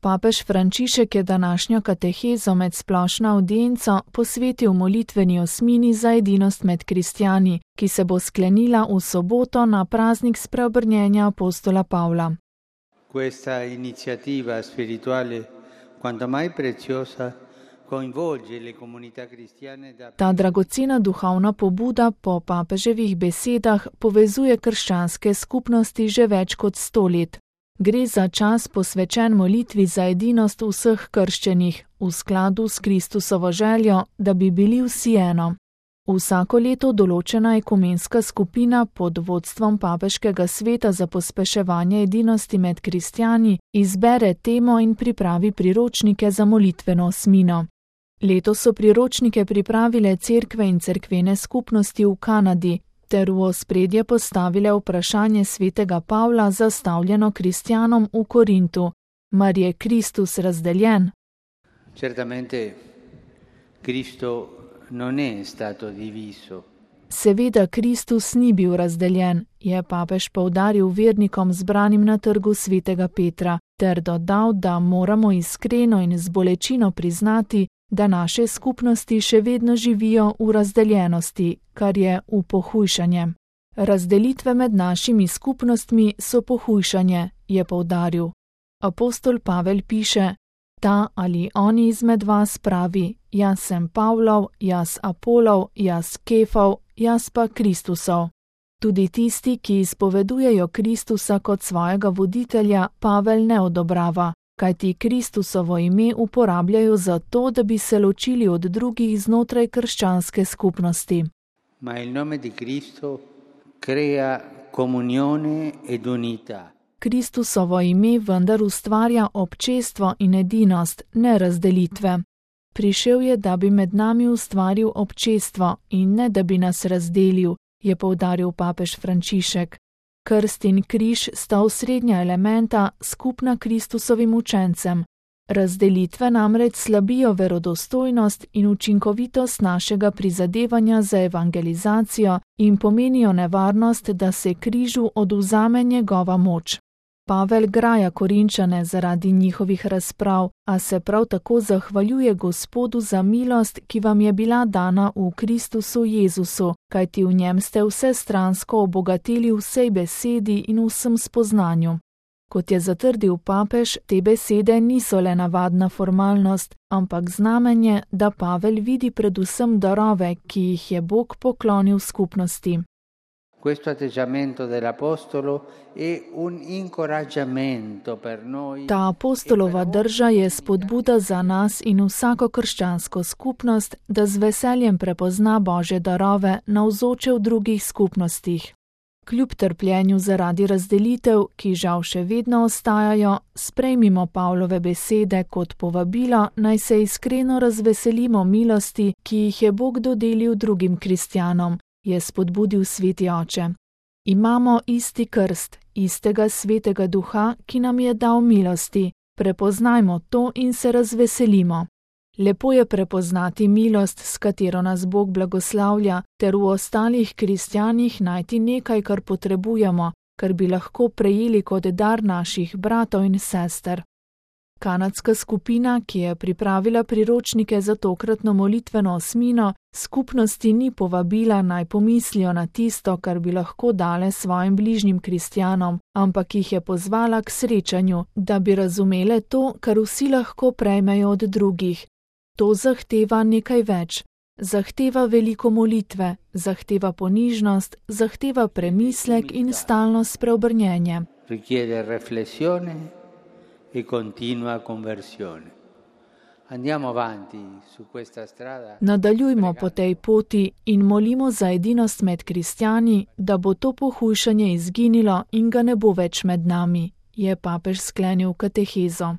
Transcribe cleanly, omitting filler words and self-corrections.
Papež Frančišek je današnjo katehezo med splošno avdienco posvetil molitveni osmini za edinost med kristjani, ki se bo sklenila v soboto na praznik spreobrnjenja apostola Pavla. Questa iniziativa spirituale quanto mai preziosa coinvolge le comunità cristiane da... Ta dragocena duhovna pobuda po papeževih besedah povezuje krščanske skupnosti že več kot 100 let. Gre za čas posvečen molitvi za edinost vseh krščenih, v skladu s Kristusovo željo, da bi bili vsi eno. Vsako leto določena ekumenska skupina pod vodstvom Papeškega sveta za pospeševanje edinosti med kristjani izbere temo in pripravi priročnike za molitveno osmino. Letos so priročnike pripravile cerkve in cerkvene skupnosti v Kanadi, ter v ospredje postavile vprašanje svetega Pavla zastavljeno kristjanom v Korintu: Mar je Kristus razdeljen? Certamente Cristo non è stato diviso. Seveda Kristus ni bil razdeljen, je papež poudaril vernikom zbranim na trgu svetega Petra, ter dodal, da moramo iskreno in z bolečino priznati, da naše skupnosti še vedno živijo v razdeljenosti, kar je v pohujšanje. Razdelitve med našimi skupnostmi so pohujšanje, je poudaril. Apostol Pavel piše: Ta ali oni izmed vas pravi: Jaz sem Pavlov, jaz Apolov, jaz Kefov, jaz pa Kristusov. Tudi tisti, ki izpovedujejo Kristusa kot svojega voditelja, Pavel ne odobrava, kajti Kristusovo ime uporabljajo zato, da bi se ločili od drugih znotraj krščanske skupnosti. Ma il nome di Cristo crea comunione ed unità. Kristusovo ime vendar ustvarja občestvo in edinost, ne razdelitve. Prišel je, da bi med nami ustvaril občestvo in ne, da bi nas razdelil, je poudaril papež Frančišek. Krst in križ sta osrednja elementa, skupna Kristusovim učencem. Razdelitve namreč slabijo verodostojnost in učinkovitost našega prizadevanja za evangelizacijo in pomenijo nevarnost, da se križu odvzame njegova moč. Pavel graja Korinčane zaradi njihovih razprav, a se prav tako zahvaljuje Gospodu za milost, ki vam je bila dana v Kristusu Jezusu, kajti v njem ste vsestransko obogatili vsej besedi in vsem spoznanju. Kot je zatrdil papež, te besede niso le navadna formalnost, ampak znamenje, da Pavel vidi predvsem darove, ki jih je Bog poklonil skupnosti. Questo atteggiamento dell'apostolo è un incoraggiamento per noi. Ta apostolova drža je spodbuda za nas in vsako krščansko skupnost, da z veseljem prepozna Božje darove navzoče v drugih skupnostih. Kljub trpljenju zaradi razdelitev, ki žal še vedno ostajajo, sprejmimo Pavlove besede kot povabilo, naj se iskreno razveselimo milosti, ki jih je Bog dodelil drugim kristjanom, je spodbudil sveti oče. Imamo isti krst, istega svetega duha, ki nam je dal milosti. Prepoznajmo to in se razveselimo. Lepo je prepoznati milost, s katero nas Bog blagoslavlja, ter v ostalih kristjanih najti nekaj, kar potrebujemo, kar bi lahko prejeli kot dar naših bratov in sester. Kanadska skupina, ki je pripravila priročnike za tokratno molitveno osmino, skupnosti ni povabila naj pomislijo na tisto, kar bi lahko dale svojim bližnjim kristjanom, ampak jih je pozvala k srečanju, da bi razumele to, kar vsi lahko prejmejo od drugih. To zahteva nekaj več. Zahteva veliko molitve, zahteva ponižnost, zahteva premislek in stalno spreobrnjenje. Richiede riflessione e continua conversione. Andiamo avanti su questa strada. Nadaljujmo po tej poti in molimo za edinost med kristjani, da bo to pohujšanje izginilo in ga ne bo več med nami, je papež sklenil katehezo.